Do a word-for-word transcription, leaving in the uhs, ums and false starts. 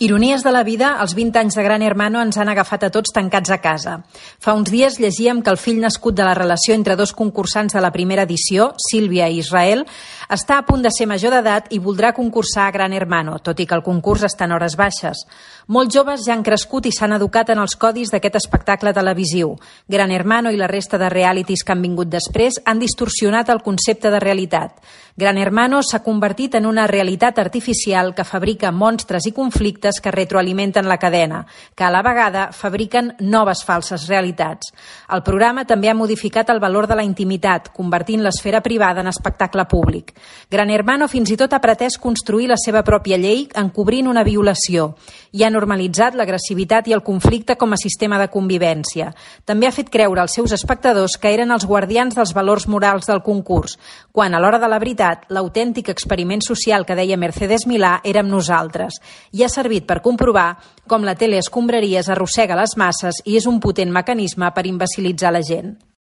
Ironies de la vida, els vint anys de Gran Hermano ens han agafat a tots tancats a casa. Fa uns dies llegíem que el fill nascut de la relació entre dos concursants de la primera edició, Sílvia i Israel, està a punt de ser major d'edat i voldrà concursar a Gran Hermano, tot i que el concurs està en hores baixes. Molts joves ja han crescut i s'han educat en els codis d'aquest espectacle televisiu. Gran Hermano i la resta de realities que han vingut després han distorsionat el concepte de realitat. Gran Hermano s'ha convertit en una realitat artificial que fabrica monstres i conflictes que retroalimenten la cadena, que a la vegada fabriquen noves falses realitats. El programa també ha modificat el valor de la intimitat, convertint l'esfera privada en espectacle públic. Gran Hermano fins i tot ha pretès construir la seva pròpia llei encobrint una violació i ha normalitzat l'agressivitat i el conflicte com a sistema de convivència. També ha fet creure als seus espectadors que eren els guardians dels valors morals del concurs, quan a l'hora de la veritat l'autèntic experiment social que deia Mercedes Milà érem nosaltres, i ha servit per comprovar com la tele escombraries arrossega les masses i és un potent mecanisme per imbecilitzar la gent.